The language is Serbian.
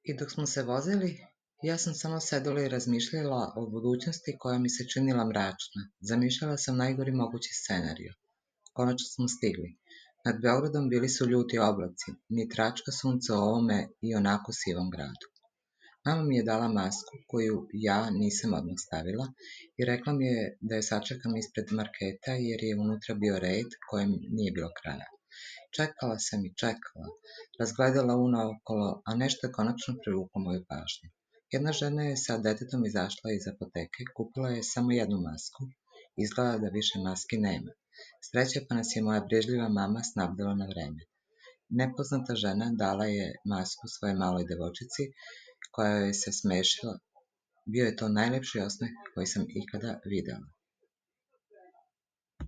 I dok smo se vozili, ja sam samo sedela i razmišljala o budućnosti koja mi se činila mračna. Zamišljala sam najgori mogući scenariju. Konačno smo stigli. Nad Beogradom bili su ljuti oblaci, ni tračka sunca u ovome i onako sivom gradu. Mama mi je dala masku koju ja nisam odmah stavila i rekla mi je da je sačekam ispred marketa jer je unutra bio red kojem nije bilo kraja. Čekala sam i čekala, razgledala unaokolo, a nešto je konačno privuklo moju pažnju. Jedna žena je sa detetom izašla iz apoteke, kupila je samo jednu masku, izgleda da više maski nema. Sreća pa nas je moja brižljiva mama snabdela na vreme. Nepoznata žena dala je masku svojoj maloj devojčici, koja joj se smešila. Bio je to najlepši osmeh koji sam ikada videla.